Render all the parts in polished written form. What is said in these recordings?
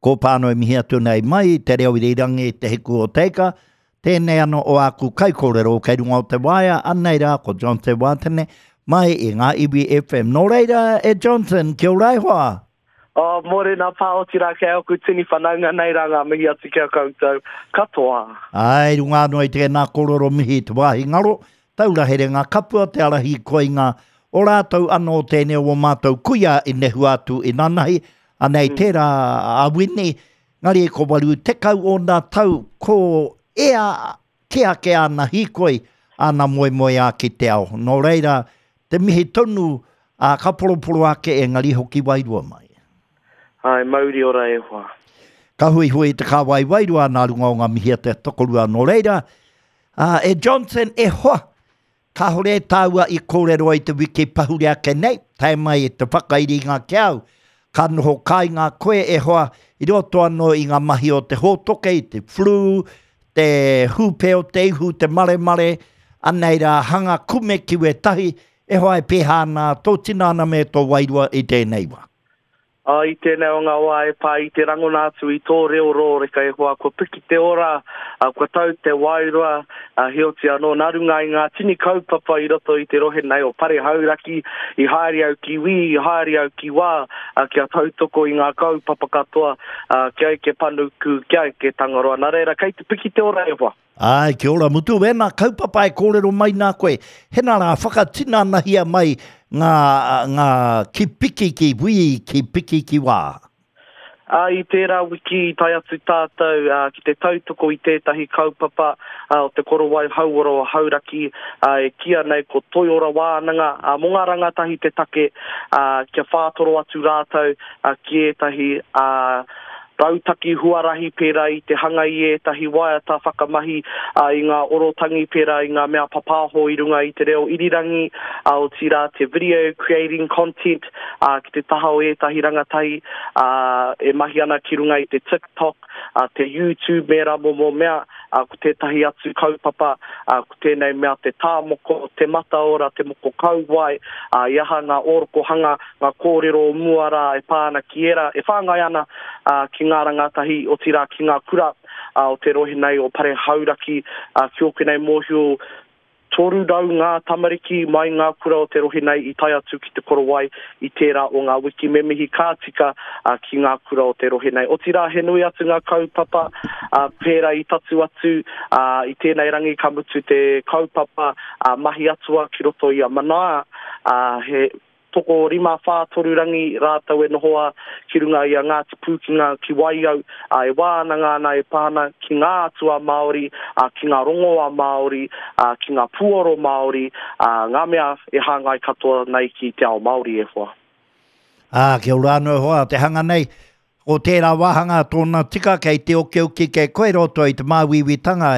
Ko Pānui mihi atu nei mai i te reo irirangi Te Hiku o Teika, tēnei ano o āku kaikōrero kei runga o te waea, anei rā ko Johnson Wātene mai i Ngā Iwi FM. Nō reira e Johnson, kia ora e hoa! Oh, mōrena pā, otirā kei aku tini whanaunga nei rā ngā mihi atu ki a koutou katoa. Āe, runga anō i tēnā kōrero mihi i te wāhi ngaro, taura herenga kapua te ara hīkoinga o rātou anō tēnei o ō mātou kuia i nehua atu inanahi, Anei tērā a Wini, ngari ko 80 ōna tau, ko ea kē ake āna hīkoi, āna moemoeā ki te ao. Nō reira, te mihi tonu, ā, ka poroporo ake engari hoki wairua mai. Āe, mauri ora e hoa. Ka huihui te kāwai wairua nā runga o ngā mihi a te tokorua. Nō reira, ā, e Johnson, e hoa, Kāore tāua i kōrero i te wiki pahure ake nei, tae mai te whakairinga ki au, ka noho kāinga koe e hoa i roto anō i ngā mahi o te hōtoke, i te flu, te hūpē o te ihu, te maremare, anei rā hanga kume ki wētahi, e hoa e pēhā ana tō tinana me tō wairua i tēnei wā. Ā, i tēnei o ngā wā e pā i te rangona atu i tō reo rōreka e hoa, kua piki te ora, ā, kua tau te wairua, ā, heoti anō, nā runga i ngā tini kaupapa i roto i te rohe nei o Pare Hauraki, i haere au ki wī, i haere au ki wā, ā, kia tautoko i ngā kaupapa katoa, ā, kia eke panuku, kia eke Tangaroa. Nā reira, kei te piki te ora e hoa. Āe, kia ora mutu wēnā kaupapa e kōrero mai nā koe. Hena rā, whakatinanahia mai ngā, ngā ki piki ki wī, ki piki ki wā. Ā, i tērā wiki i tae atu tātou ki te tautoko i tētahi kaupapa o Te Korowai Hauora o Hauraki e kīia nei ko Toiora Wānanga, ā, mō ngā rangatahi te take, ā, kia whātoro atu rātou ki ētahi, ā, rautaki huarahi pērā i te hanga i ētahi waiata whakamahi i ngā orotangi pērā i ngā mea papāho i runga i te reo irirangi, otirā te video creating content ki te taha o ētahi rangatahi e mahi ana ki runga i te TikTok, te YouTube me ērā momo mea. Ko tētahi atu kaupapa, ko tēnei mea te tā moko, te mataora, te moko kauae, i aha ngā ōrokohanga, ngā kōrero o mua rā e pā ana ki ērā, e whāngai ana ki ngā rangatahi, otirā ki ngā kura o te rohe nei o Pare Hauraki, ki ōku nei mōhio, 300 ngā tamariki mai ngā kura o te rohe nei i tae atu ki Te Korowai i tērā o ngā wiki. Me mihi ka tika ki ngā kura o te rohe nei. Otirā he nui atu ngā kaupapa pērā i tatu atu i tēnei rangi ka mutu te kaupapa mahi atua ki roto i a Manaia, he Tokorima whātoru rangi rātou e noho a ki runga i a Ngāti Pūkenga ki Waiau, ā, e wānanga ana e pā ana ki ngā atua Māori, ā, ki ngā rongoa Māori, ā, ki ngā puoro Māori, ā, ngā mea e hāngai katoa nei ki te ao Māori e hoa. Ā, kia ora anō e hoa, te hanga nei, Ko tērā wāhanga tōna tika kei te okioki kei koe roto i te māuiuitanga,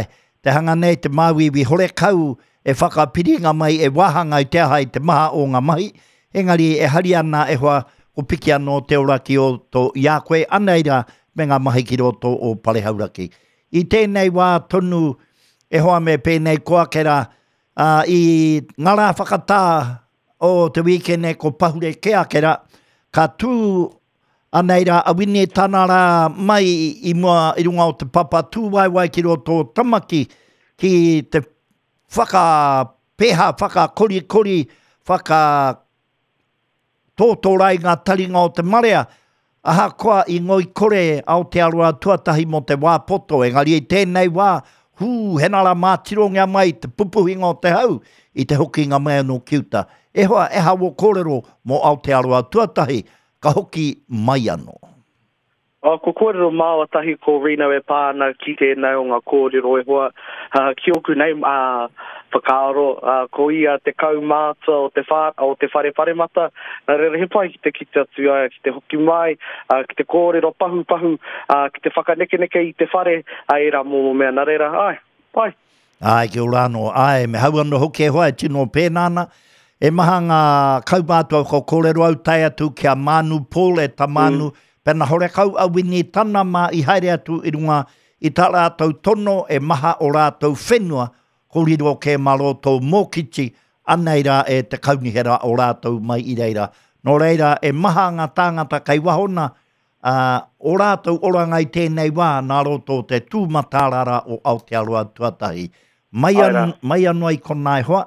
te hanga nei te māuiui horekau e whakapiringa mai e wāhanga i te aha i te maha o ngā mahi, engari e hari ana e hoa ko piki anō te ora ki oto i a koe anei rā me ngā mahi ki roto o Pare Hauraki. I tēnei wā tonu e hoa me pēnei koa ake rā, ā, i ngā rā whakatā o te wīkene ko pahure kē ake rā, ka tū Anei rā a Wini tana rā mai i mua i runga o te papa tūwaewae ki roto o Tamaki ki te whakapeha, whakakorikori, whakatōtōra i ngā taringa o te marea, ahakoa i ngoikore Aotearoa tuatahi mō te wā poto, engari i tēnei wā, hū, hena rā mātirongia mai te pupuhinga o te hau i te hokinga mai anō ki uta. E hoa, e aha wō kōrero mō Aotearoa tuatahi, ka hoki mai anō. Ko kōrero māua tahi ko Rino e pā ana ki tēnei o ngā kōrero e hoa, ki ōku nei whakaaro, ko ia te kaumātua o te o te whare paremata, nā reira he pai ki te kite atu ai, ki te hoki mai, ki te kōrero pahupahu, ki te whakanekeneke i te whare, ērā momo mea, nā reira, āe, pai. Āe, kia ora anō. Āe, me hau anō hoki e hoa, e tino pēnā ana. E maha ngā kaumātua kua kōrero au tae atu ki a Mānu Paul e ta Mānu, mm. pena horekau a Wini Tana mā i haere atu i runga i tā rātou tono e maha o rātou whenua, ko riro kē mā roto mōkiti, anei rā e te kaunihera o rātou mai i reira. Nō reira, e maha ngā tāngata kei waho nā, ā, ō rātou oranga i tēnei wā nā roto o te tū mataarara o Aotearoa tuatahi. Mai, an, mai anō i konā e hoa,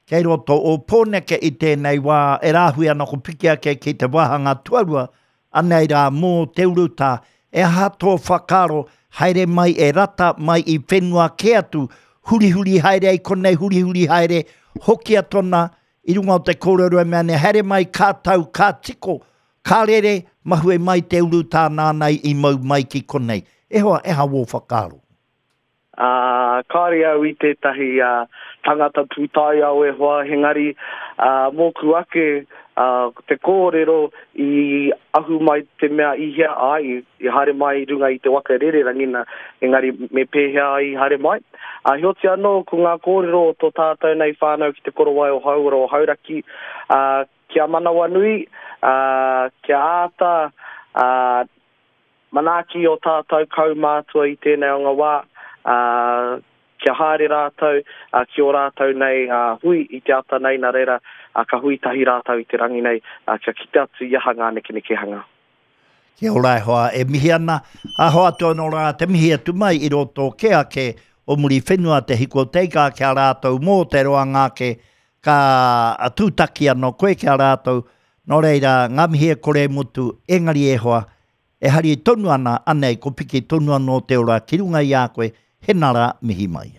kei roto o Pōneke i tēnei wā e rāhui ana ko piki ake ki te wāhanga tuarua, anei rā mō te urutā, e aha tō whakaaro, haere mai e rata mai i whenua kē atu, hurihuri haere ai konei, hurihuri haere, hokia tona i runga o te kōrero e mea nei, haere mai ka tau, ka tiko, ka rere, mahue mai te urutā nāna i mau mai ki konei. E hoa, e aha wō whakaaro? Ā, kāore au i tētahi tangata pūtaiao e hoa, engari, ā, mōku ake, ā, te kōrero i ahu mai te mea i hea ai, i haere mai i runga i te waka rererangi, nā, engari me pēhea ai i haere mai. Ā, heoti anō, ko ngā kōrero o tō tātou nei whānau ki Te Korowai o Hauora o Hauraki, ā, kia manawanui, ā, kia āta, ā, manaaki ō tātou kaumātua i tēnei o ngā wā, ā, kia haere rātou ki ō rātou nei hui i te ata nei, nā reira, ka hui tahi rātou i te rangi nei, kia kite atu i aha ngā nekenekehanga. Kia ora e hoa, e mihi ana, a hoatu anō rā te mihi atu mai i roto kē ake o Muriwhenua te hiko teika ki a rātou mō te roanga ake ka tūtaki anō koe ki a rātou, nō reira, ngā mihi e kore e mutu, engari e hoa, e hari tonu ana, anei, ko piki tonu anō te ora ki runga i a koe, hena rā, mihi mai.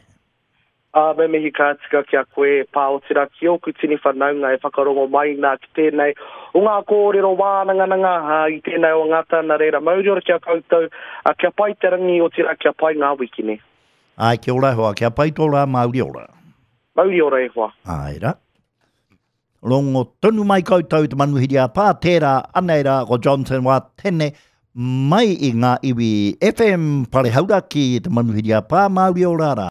Ā, me mihi ka tika ki a koe e pā, otirā ki ōku tini whanaunga e whakarongo mai nā ki tēnei o ngā kōrero wānangananga i tēnei o ngā tau, nā reira mauri ora ki a koutou, ā, kia pai te rangi, otirā kia pai ngā wikine. Āe, kia ora e hoa, kia pai tō rā, mauri ora. Mauri ora e hoa. Āe rā. Rongo tonu mai koutou te manuhiri a pā, tērā, anei rā, ko Johnson Watene, mai i ngā iwi FM Pare Hauraki, te manuhiri a pā, Māori ora rā.